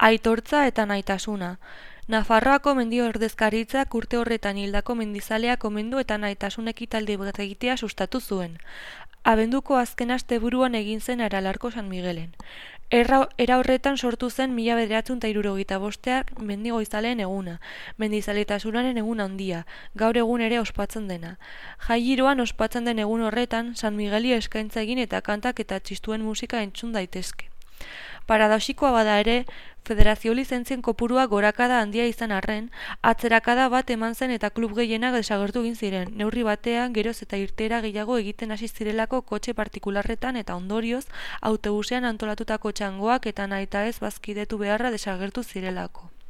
Aitortza eta nahitasuna. Nafarroako mendi ordezkaritzak urte horretan hildako mendizaleak omendu eta nahitasun ekitaldi bat egitea sustatu zuen. Abenduko azken asteburuan egin zen Aralarko San Migelen. Era horretan sortu zen 1975 mendigoizaleen eguna, mendizaletasunaren egun handia, gaur egun ere ospatzen dena. Jai giroan ospatzen den egun horretan, San Migeli eskaintza egin eta kantak eta txistuen musika entzun daitezke. Paradoxikoa bada ere, federazio lizentzien kopurua gorakada handia izan arren, atzerakada bat eman zen eta klub gehienak desagertu egin ziren, neurri batean geroz eta irteera gehiago egiten hasi zirelako kotxe partikularretan eta ondorioz, autobusean antolatutako txangoak eta nahitaez bazkidetu beharra desagertu zirelako.